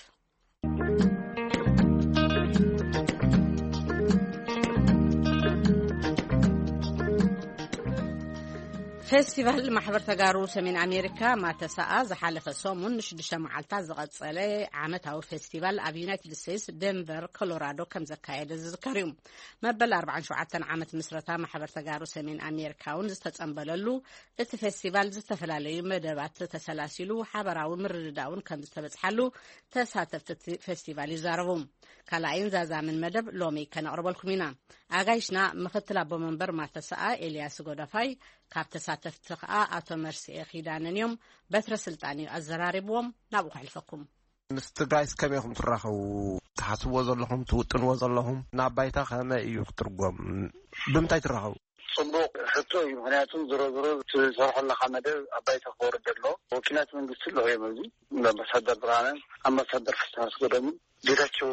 ፌስቲቫል ማሕበር ተጋሩ ሰሜን ኣሜሪካ ማተሰኣ ዝሓለፈ ሰሙን ንሽዱሽተ መዓልታት ዝቐጸለ ዓመታዊ ፌስቲቫል ኣብ ዩናይትድ ስቴትስ ደንቨር ኮሎራዶ ከም ዘካየደ ዝዝከር እዩ። መበል ኣርባዓን ሸውዓተን ዓመት ምስረታ ማሕበር ተጋሩ ሰሜን ኣሜሪካ እውን ዝተጸንበለሉ እቲ ፌስቲቫል ዝተፈላለዩ መደባት ተሰላሲሉ ሓበራዊ ምርድዳእ እውን ከም ዝተበጽሓሉ ተሳተፍቲ እቲ ፌስቲቫል ይዛረቡ። ካልኣይን ዛዛምን መደብ ሎሚ ከነቕርበልኩም ኢና። ኣጋይሽና ምኽትል ኣቦ መንበር ማተሰኣ ኤልያስ ጎደፋይ፣ ካብ ተሳተፍቲ ከኣ ኣቶ መርስኤ ኪዳነን እዮም። በትረ ስልጣን እዩ ኣዘራሪብዎም። ናብኡ ከሕልፈኩም። ምስ ትግራይስ ከመይ ኢኹም ትራኸቡ? ትሓስብዎ ዘለኹም፣ ትውጥንዎ ዘለኹም ናብ ባይታ ከመይ እዩ ክትርጎም? ብምንታይ ትራኸቡ? ጽቡቕ ሕቶ እዩ። ምኽንያቱ ዝሮ ዝሮ ትሰርሖ ኣለኻ መደብ ኣብ ባይታ ክወርድ ኣሎ። ወኪላት መንግስቲ ኣለዉ እዮም ኣብዚ። ኣምባሳደር ብርሃነ፣ ኣምባሳደር ፍስሃ ኣስገዶምን ጌታቸው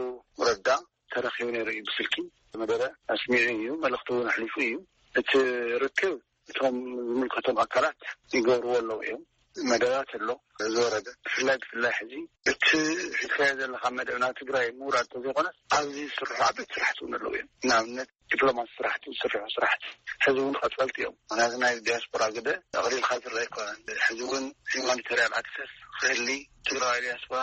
ረዳ ተረኺቡ ነይሩ እዩ። ብስልኪ መደረ ኣስሚዑ እዩ፣ መልእኽቲ እውን ኣሕሊፉ እዩ። እቲ ርክብ እቶም ዝምልከቶም ኣካላት ይገብርዎ ኣለዉ እዮም። መደባት ኣሎ ዝወረደ፣ ብፍላይ ብፍላይ ሕዚ እቲ ሒዝካዮ ዘለካ መደብ ናብ ትግራይ ምውራድ ተዘይኮነስ ኣብዚ ዝስርሑ ዓበይቲ ስራሕቲ እውን ኣለዉ እዮም። ንኣብነት ዲፕሎማሲ ስራሕቲ ዝስርሑ ስራሕቲ ሕዚ እውን ቀፀልቲ እዮም። ምክንያቱ ናይ ዲያስፖራ ግደ ኣቕሊልካ ዝረአ ኣይኮነን። ሕዚ እውን ሂማኒታሪያን ኣክሰስ ክህሊ ትግራዊ ዲያስፖራ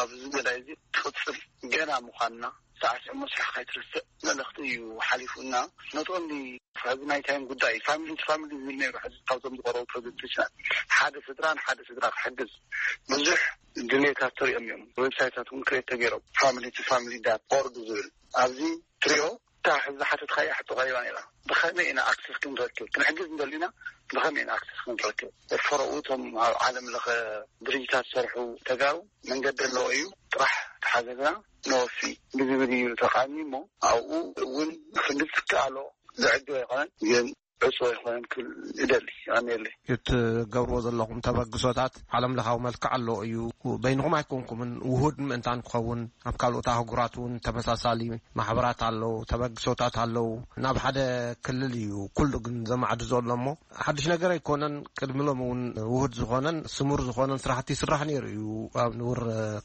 ኣብዚ መዳይ እዚ ትቕፅል ገና ምዃንና ሳዕስዕ መስርሕ ከይትርስዕ መልእኽቲ እዩ ሓሊፉና። ኖት ኦንሊ ሕዚ ናይ ታይም ጉዳይ ፋሚሊ ቱ ፋሚሊ ዝብል ነይሩ። ሕዚ ካብቶም ዝቀረቡ ፕሮጀክቶችና ሓደ ስድራ ንሓደ ስድራ ክሕግዝ ብዙሕ ድሌታት ተሪኦም እዮም። ዌብሳይታት እውን ክሬት ተገይሮም ፋሚሊ ቱ ፋሚሊ ዳት ኦርግ ዝብል ኣብዚ ትሪኦ እታ ሕዚ ዝሓተትካያ ሕቶ ቀሪባ ነይራ። ብኸመይ ኢና ኣክሰስ ክንረክብ? ክንሕግዝ እንደሊና ብኸመይ ኢና ኣክሰስ ክንረክብ? ፈረኡ እቶም ኣብ ዓለም ለኸ ድርጅታት ዝሰርሑ ተጋሩ መንገዲ ኣለዎ እዩ፣ ጥራሕ ተሓገዝና ነወፊ ብዝብል እዩ ተቃሚ እሞ ኣብኡ እውን ክንዲ ዝከኣሎ ዝዕግብ ኣይኮነን፣ ግን ዕፁ ኣይኮነን ክብል እደሊ። ኣሜለይ። እትገብርዎ ዘለኹም ተበግሶታት ዓለም ለኻዊ መልክዕ ኣለዎ እዩ። በይንኹም ኣይኮንኩምን፣ ውሁድ ምእንታን ክኸውን ኣብ ካልኦት ኣህጉራት እውን ተመሳሳሊ ማሕበራት ኣለዉ፣ ተበግሶታት ኣለዉ። ናብ ሓደ ክልል እዩ ኩሉ ግን ዘማዕዱ ዘሎ እሞ ሓድሽ ነገር ኣይኮነን። ቅድሚ ሎም እውን ውሁድ ዝኾነን ስሙር ዝኾነን ስራሕቲ ይስራሕ ነይሩ እዩ፣ ኣብ ንቡር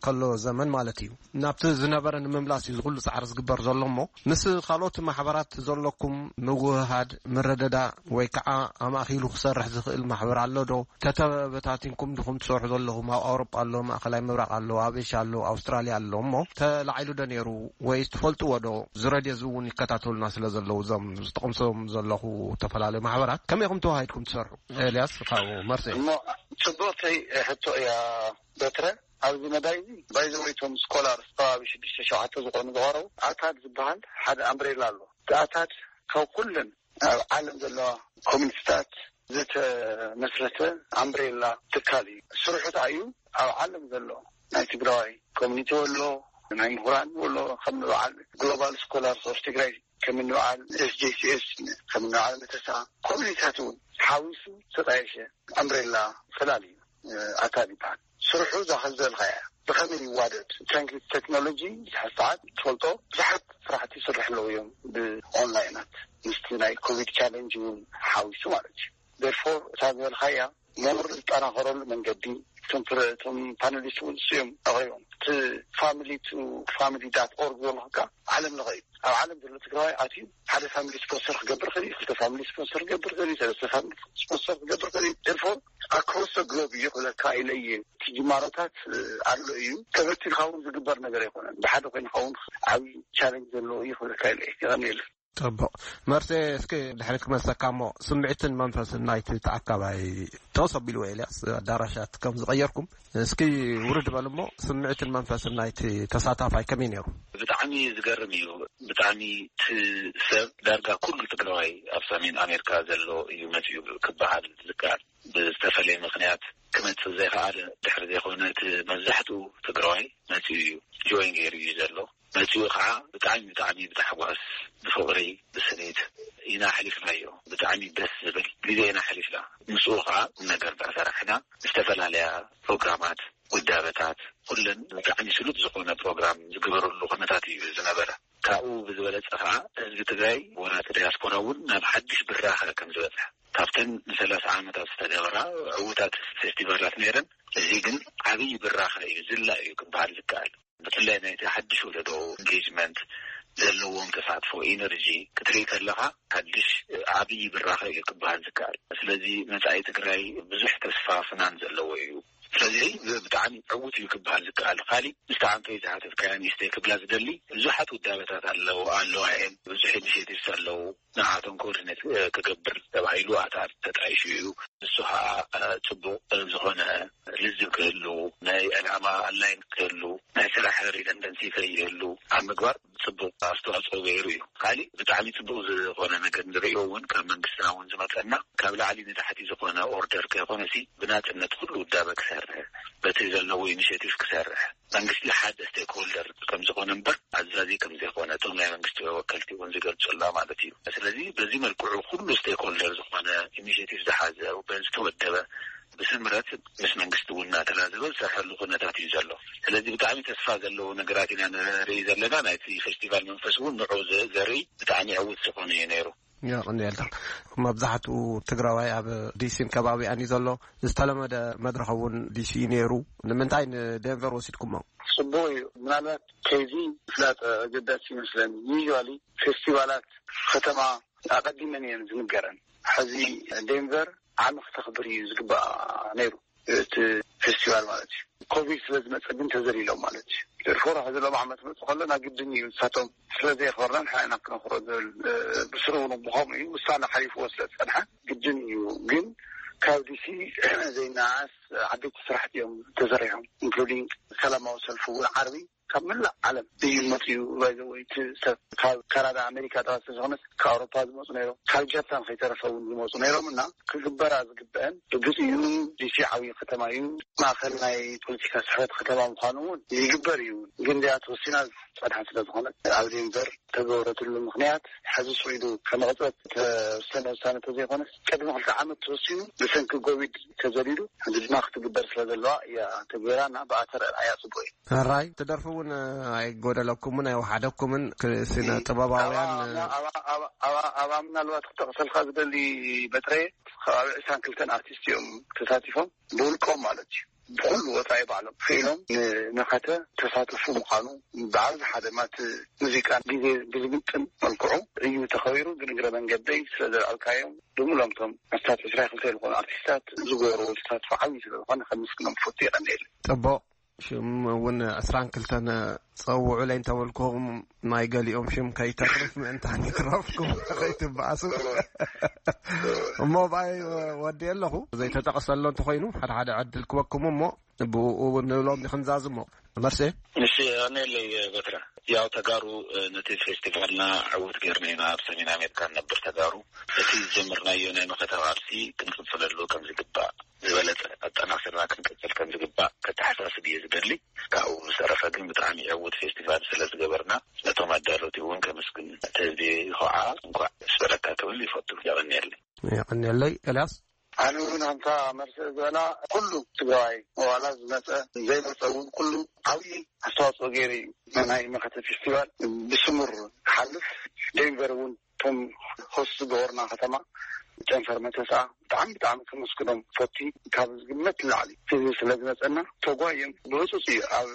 ከሎ ዘመን ማለት እዩ። ናብቲ ዝነበረ ንምምላስ እዩ ዝኩሉ ፃዕሪ ዝግበር ዘሎ እሞ ምስ ካልኦት ማሕበራት ዘለኩም ምውህሃድ፣ ምርድዳእ ወይ ከዓ ኣማእኪሉ ክሰርሕ ዝኽእል ማሕበር ኣሎ ዶ? ተተበታቲንኩም ድኹም ትሰርሑ ዘለኹም? ኣብ ኣውሮጳ ኣሎ፣ ማእከላይ ምብራቕ ኣሎ፣ ኣብ ኤሽያ ኣሎ፣ ኣውስትራልያ ኣሎ። እሞ ተላዒሉ ዶ ነይሩ ወይስ ትፈልጥዎ ዶ? ዝረድዮ እዚ እውን ይከታተሉና ስለ ዘለዉ እዞም ዝጠቕምሶም ዘለኹ ዝተፈላለዩ ማሕበራት ከመይ ኢኹም ተዋሂድኩም ትሰርሑ? ኤልያስ ካብ መርሴ። እሞ ፅቡቕተይ ሕቶ እያ በትረ። ኣብዚ መዳይ እዚ ባይዘወይ እቶም ስኮላር ከባቢ ሽዱሽተ ሸውዓተ ዝኾኑ ዝቐረቡ ኣታድ ዝበሃል ሓደ ኣምብሬላ ኣሎ። እቲ ኣታድ ካብ ኩለን ኣብ ዓለም ዘለዋ ኮሚኒቲታት ዝተመስረተ ኣምብሬላ ትካል እዩ። ስርሑ እንታይ እዩ? ኣብ ዓለም ዘሎ ናይ ትግራዋይ ኮሚኒቲ ኣሎ፣ ናይ ምሁራን ኣሎ፣ ከም በዓል ግሎባል ስኮላርስ ኦፍ ትግራይ ከም ንበዓል ኤስጄሲኤስ ከም ንበዓል መተሳ ኮሚኒታት እውን ሓዊሱ ዝተጣየሸ ኣምብሬላ ፈላል እዩ። ኣታድ ይበሃል። ስርሑ እዛ ከዘልካ እያ። ብኸመይ ይዋደድ? ትራንክሊት ቴክኖሎጂ ዝሓ ሰዓት ትፈልጦ ብዙሓት ስራሕቲ ይስርሕ ኣለዉ እዮም ብኦንላይናት ምስቲ ናይ ኮቪድ ቻለንጅ እውን ሓዊሱ ማለት እዩ። ደርፎር እታ ዝበልካያ ሞር ዝጠናኸረሉ መንገዲ እቶም ፕረ- እቶም ፓነሊስት እውን እሱ እዮም ኣቕሪቦም። እቲ ፋሚሊ ቱ ፋሚሊ ዳት ኦርግ ዘሎ ከ ዓለም ለኸ እዩ። ኣብ ዓለም ዘሎ ትግራዋይ ኣትዩ ሓደ ፋሚሊ ስፖንሰር ክገብር ክእል እዩ፣ ክልተ ፋሚሊ ስፖንሰር ክገብር ክእል እዩ፣ ሰለስተ ፋሚሊ ስፖንሰር ክገብር ክእል እዩ። ደርፎር ኣክሮስ ግሎብ እዩ ክብለካ ኢለ እየ። እቲ ጅማሮታት ኣሎ እዩ። ተበቲንካ እውን ዝግበር ነገር ኣይኮነን። ብሓደ ኮይንካ እውን ዓብዪ ቻለንጅ ዘለዎ እዩ ክብለካ ኢለ እየ። የቐንየልና። ጽቡቕ መርሴ፣ እስኪ ድሕሪ ክመልሰካ እሞ ስምዒትን መንፈስን ናይቲ ተኣካባይ ተወስ ኣቢልዎ ኤልያስ ኣዳራሻት ከም ዝቐየርኩም እስኪ ውርድ በል እሞ ስምዒትን መንፈስን ናይቲ ተሳታፋይ ከመይ ነይሩ? ብጣዕሚ ዝገርም እዩ። ብጣዕሚ እቲ ሰብ ዳርጋ ኩሉ ትግራዋይ ኣብ ሰሜን ኣሜሪካ ዘሎ እዩ መፂኡ ክበሃል ዝከኣል። ብዝተፈለየ ምክንያት ክመፅእ ዘይከኣለ ድሕሪ ዘይኮነ እቲ መብዛሕትኡ ትግራዋይ መፂኡ እዩ ጆይን ገይሩ እዩ ዘሎ። መፂኡ ከዓ ብጣዕሚ ብጣዕሚ ብታሕጓስ ብፍቕሪ ብስኒት ኢና ኣሕሊፍናዮ። ብጣዕሚ ደስ ዝብል ግዜ ኢና ኣሕሊፍና። ምስኡ ከዓ ቁም ነገር እንዳሰራሕና ዝተፈላለያ ፕሮግራማት ውዳበታት ኩለን ብጣዕሚ ስሉጥ ዝኾነ ፕሮግራም ዝግበረሉ ኩነታት እዩ ዝነበረ። ካብኡ ብዝበለፀ ከዓ ህዝቢ ትግራይ ወላ እቲ ዲያስፖራ እውን ናብ ሓድሽ ብራኸ ከም ዝበፅሐ ካብተን ንሰላሳ ዓመታት ዝተገበራ ዕዉታት ፌስቲቫላት ነይረን እዚ ግን ዓብዪ ብራኸ እዩ ዝላ እዩ ክበሃል ዝከኣል። ብፍላይ ናይቲ ሓድሽ ወለዶ ኢንጌጅመንት ዘለዎም ተሳትፎ ኢነርጂ ክትርኢ ከለኻ ሓድሽ ዓብዪ ብራኸ እዩ ክበሃል ዝከኣል። ስለዚ መፃኢ ትግራይ ብዙሕ ተስፋ ፍናን ዘለዎ እዩ። ስለዚ ብጣዕሚ ዕዉት እዩ ክበሃል ዝከኣል። ካሊእ ምስቲ ዓንተይ ዝሓተትካያ ንእሽተይ ክብላ ዝደሊ ብዙሓት ውዳበታት ኣለዉ ኣለዋ እየን ብዙሕ ኢኒሽቲቭስ ኣለዉ። ንዓቶም ኮኦርዲኔት ክገብር ተባሂሉ ኣታ ተጣይሹ እዩ። ንሱ ከዓ ፅቡቅ ዝኾነ ልዝብ ክህሉ ናይ ዕላማ ኣላይን ክህሉ ናይ ስራሕ ሪደንደንሲ ከይህሉ ኣብ ምግባር ፅቡቅ ኣስተዋፅኦ ገይሩ እዩ። ካሊእ ብጣዕሚ ፅቡቅ ዝኾነ ነገር ንሪኦ እውን ካብ መንግስትና እውን ዝመፀና ካብ ላዕሊ ንታሕቲ ዝኾነ ኦርደር ከይኮነሲ ብናፅነት ኩሉ ውዳበ ክሰርሕ በቲ ዘለዎ ኢኒሽቲቭ ክሰርሕ መንግስቲ ሓደ ስቴክሆልደር ከም ዝኾነ እምበር ኣዛዚ ከም ዘይኮነ እቶም ናይ መንግስቲ ወከልቲ እውን ዝገልፁላ ማለት እዩ። ስለዚ በዚ መልክዑ ኩሉ ስቴክሆልደር ዝኾነ ኢኒሽቲቭ ዝሓዘ በዚ ዝተወደበ ብስምረት ምስ መንግስቲ እውን እናተላዘበ ዝሰርሐሉ ኩነታት እዩ ዘሎ። ስለዚ ብጣዕሚ ተስፋ ዘለዎ ነገራት ኢና ንርኢ ዘለና። ናይቲ ፌስቲቫል መንፈስ እውን ንዑ ዘርኢ ብጣዕሚ ዕውት ዝኾነ እዩ ነይሩ። የቐንየልካ። መብዛሕትኡ ትግራዋይ ኣብ ዲሲን ከባቢኣን እዩ ዘሎ። ዝተለመደ መድረኽ እውን ዲሲ እዩ ነይሩ። ንምንታይ ንዴንቨር ወሲድኩሞ? ጽቡቕ እዩ። ምናልባት ከዚ ፍላጥ ኣገዳሲ ይመስለኒ። ዩዋሊ ፌስቲቫላት ከተማ ኣቐዲመን እየን ዝንገረን። ሕዚ ዴንቨር ዓሚ ክተኽብር እዩ ዝግባእ ነይሩ፣ እቲ ፌስቲቫል ማለት እዩ። ኮቪድ ስለ ዝመፀ ግን ተዘሊሎም ማለት እዩ። ደርፎር ሕዚ ሎም ዓመት መፅ ከሎ ና ግድን እዩ ንሳቶም ስለ ዘየኽበርና ንሕና ኢና ክነኽሮ ዝብል ብስሩ እውን ብኸምኡ እዩ ውሳነ ሓሊፍዎ ስለ ዝፀንሐ ግድን እዩ። ግን ካብ ዲሲ ዘይናኣስ ዓበይቲ ስራሕቲ እዮም ተሰሪሖም፣ ኢንክሉዲንግ ሰላማዊ ሰልፊ እውን ዓርቢ ካብ መላእ ዓለም እዩ መፅኡ። ባይዘወይ እቲ ሰብ ካብ ካናዳ ኣሜሪካ ጥራይ ስለዝኾነስ ካብ ኣውሮፓ ዝመፁ ነይሮም፣ ካብ ጃፓን ከይተረፈ እውን ዝመፁ ነይሮም እና ክግበራ ዝግበአን ርግፅ እዩ። ዲሲ ዓብዪ ከተማ እዩ፣ ማእኸል ናይ ፖለቲካ ስሕበት ከተማ ምዃኑ እውን ይግበር እዩ። ግን እዚኣ ተወሲና ዝፀንሐ ስለዝኾነ ኣብ ዴንቨር ተገበረትሉ ምኽንያት ሕዚ ስዒዱ ከመቕፀት ተወሰነ ውሳነ ተዘይኮነስ ቅድሚ ክልተ ዓመት ተወሲኑ ብሰንኪ ኮቪድ ተዘሊሉ ሕዚ ድማ ክትግበር ስለዘለዋ እያ ተገይራ እና ብኣተር ኣያ ፅቡቅ እዩ። ሕራይ ትደርፉ እውን ኣይጎደለኩምን ኣይወሓደኩምን ክስነ ጥበባውያን ኣባ ምናልባት ክጠቕሰልካ ዝደሊ በትረ ከባቢ ዕስራን ክልተን ኣርቲስት እዮም ተሳቲፎም ብውልቆም ማለት እዩ። ብኩሉ ወፃኢ ባዕሎም ክኢሎም ንመኸተ ተሳተፉ ምዃኑ ብኣብዝሓ ድማ እቲ ሙዚቃ ግዜ ብዝምጥን መልክዑ እዩ ተኸቢሩ። ግን እግረ መንገደይ ስለ ዘልዓልካዮም ብምሎምቶም ኣስታት ዕስራ ክልተ ዝኾኑ ኣርቲስታት ዝገበርዎ ተሳትፎ ዓብዪ ስለዝኾነ ከምስክኖም ፈቱ የቐንየሉ። ጥቡቕ። ሽም እውን ዕስራን ክልተን ፀውዑለይ እንተበልኩም ናይ ገሊኦም ሽም ከይተርፍ ምእንታን ይትረፍኩም ከይትበኣሱ። እሞ ብኣይ ወዲ ኣለኹ ዘይተጠቐሰሎ እንተኾይኑ ሓደ ሓደ ዕድል ክበኩም እሞ ብኡ እውን ንብሎም ክንዛዝሞ። መርሴ። እሺ፣ ኣነለይ በትረ። ያው ተጋሩ ነቲ ፌስቲቫልና ዕውት ገይርና ኢና ኣብ ሰሜን ኣሜሪካ ንነብር ተጋሩ። እቲ ዝጀመርናዮ ናይ መኸተ ቃልሲ ክንቅፅለሉ ከም ዝግባእ ዝበለፀ ኣጠናኺርና ክንቅፅል ከም ዝግባእ ከተሓሳስብ እየ ዝደሊ። ካብኡ ብዝተረፈ ግን ብጣዕሚ ዕውት ፌስቲቫል ስለ ዝገበርና ነቶም ኣዳለውቲ እውን ከመስግን ተዝየ ይኸዓ እንኳዕ ስበረካ ክብል ይፈቱ። የቐንየለይ። የቐንየለይ። ኤልያስ። ኣነ እውን ኣንታ መርሲ ዝበላ ኩሉ ትግራዋይ ዋላ ዝመፀ ዘይመፀ እውን ኩሉ ዓብዪ ኣስተዋፅኦ ገይሩ እዩ። ናይ መኸተ ፌስቲቫል ብስሙር ክሓልፍ ዴንቨር እውን እቶም ሆስት ዝገበርና ከተማ ጨንፈር መተስኣ ብጣዕሚ ብጣዕሚ ከመስግኖም ፈቲ ካብ ዝግመት ንላዕሊ ህዝቢ ስለ ዝመፀና ተጓዮም ብህፁፅ እዩ ኣብ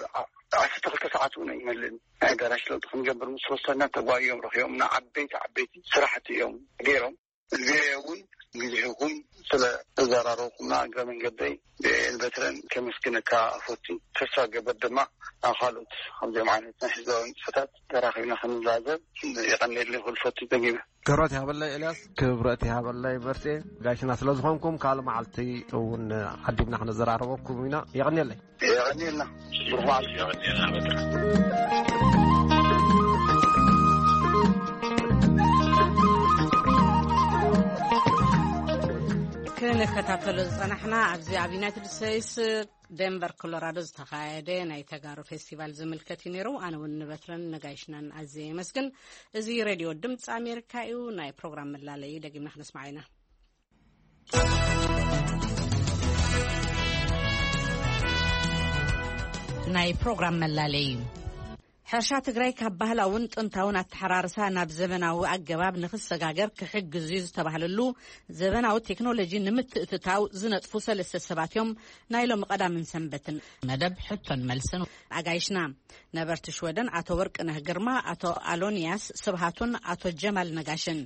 ዓሰርተ ክልተ ሰዓት እውን ኣይመልእን ናይ ኣዳራሽ ለውጢ ክንገብር ምስ ወሰና ተጓዮም ረኪቦምና ዓበይቲ ዓበይቲ ስራሕቲ እዮም ገይሮም። እዚኣ እውን ግዜኹም ስለ ተዘራረብኩምና እግረ መንገደይ ብኤል በትረን ከመስግነካ ፈቱ። ተስፋ ገበር ድማ ኣብ ካልኦት ከምዚኦም ዓይነት ናይ ህዝባዊ ንጥፈታት ተራኺብና ክንላዘብ የቐንየለይ ክብል ፈቱ ደጊመ። ክብረት ይሃበለይ ኤልያስ። ክብረት ይሃበለይ በርቴ። ጋሽና ስለ ዝኾንኩም ካልእ መዓልቲ እውን ዓዲምና ክንዘራረበኩም ኢና። የቐንየለይ። የቐንየልና። ብሩኽ መዓልቲ። የቐንየልና በትረ። ክንከታተሎ ዝጸናሕና ኣብዚ ኣብ ዩናይትድ ስቴትስ ደንቨር ኮሎራዶ ዝተኻየደ ናይ ተጋሩ ፌስቲቫል ዝምልከት እዩ ነይሩ። ኣነ እውን ንበትረን ነጋይሽናን ኣዝየ የመስግን። እዚ ሬድዮ ድምፂ ኣሜሪካ እዩ። ናይ ፕሮግራም መላለዩ ደጊምና ክነስማዕ ኢና። ናይ ፕሮግራም መላለዩ። ሕርሻ ትግራይ ካብ ባህላውን ጥንታውን ኣተሓራርሳ ናብ ዘበናዊ ኣገባብ ንኽሰጋገር ክሕግዝ እዩ ዝተባህለሉ ዘበናዊ ቴክኖሎጂ ንምትእትታው ዝነጥፉ ሰለስተ ሰባት እዮም ናይ ሎሚ ቀዳምን ሰንበትን መደብ ሕቶን መልስን ኣጋይሽና። ነበርቲ ሽወደን ኣቶ ወርቅነህ ግርማ፣ ኣቶ ኣሎንያስ ስብሃቱን ኣቶ ጀማል ነጋሽን።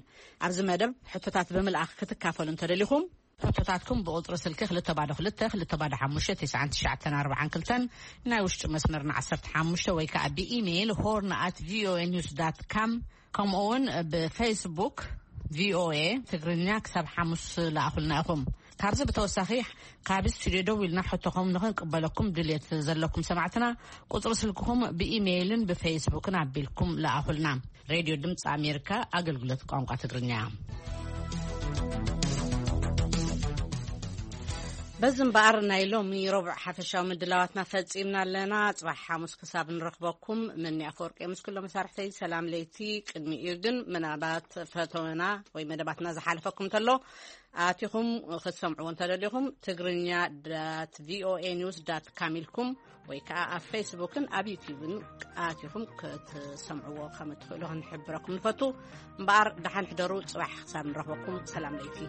ኣብዚ መደብ ሕቶታት ብምልኣኽ ክትካፈሉ እንተደሊኹም፣ ሕቶታትኩም ብቁጽሪ ስልኪ ክልተ ባዶ ክልተ ክልተ ባዶ ሓሙሽተ ትሽዓን ትሽዓተን ኣርባዓን ክልተን፣ ናይ ውሽጢ መስመርና ዓሰርተ ሓሙሽተ ወይ ከኣ ብኢሜይል ሆርን ኣት ቪኦኤ ኒውስ ዳት ካም፣ ከምኡ እውን ብፌስቡክ ቪኦኤ ትግርኛ ክሳብ ሓሙስ ለኣኹልና ኢኹም። ካብዚ ብተወሳኺ ካብ ስቱድዮ ደዊልና ሕቶኹም ንኽንቅበለኩም ድልየት ዘለኩም ሰማዕትና ቁጽሪ ስልክኹም ብኢሜይልን ብፌስቡክን ኣቢልኩም ለኣኹልና። ሬድዮ ድምፂ ኣሜሪካ ኣገልግሎት ቋንቋ ትግርኛ። በዚ እምበኣር ናይ ሎሚ ረቡዕ ሓፈሻዊ ምድላዋትና ፈጺምና ኣለና። ጽባሕ ሓሙስ ክሳብ ንረኽበኩም፣ መኒ ኣፈወርቂ ምስ ኩሎም መሳርሕተይ ሰላም ለይቲ። ቅድሚኡ ግን ምናልባት ፈተወና ወይ መደባትና ዝሓለፈኩም እንተሎ፣ ኣቲኹም ክትሰምዕዎ እንተደሊኹም፣ ትግርኛ ዳት ቪኦኤ ኒውስ ዳት ካም ኢልኩም ወይ ከዓ ኣብ ፌስቡክን ኣብ ዩቲዩብን ኣቲኹም ክትሰምዕዎ ከም እትኽእሉ ክንሕብረኩም ንፈቱ። እምበኣር ደሓን ሕደሩ፣ ጽባሕ ክሳብ ንረኽበኩም ሰላም ለይቲ።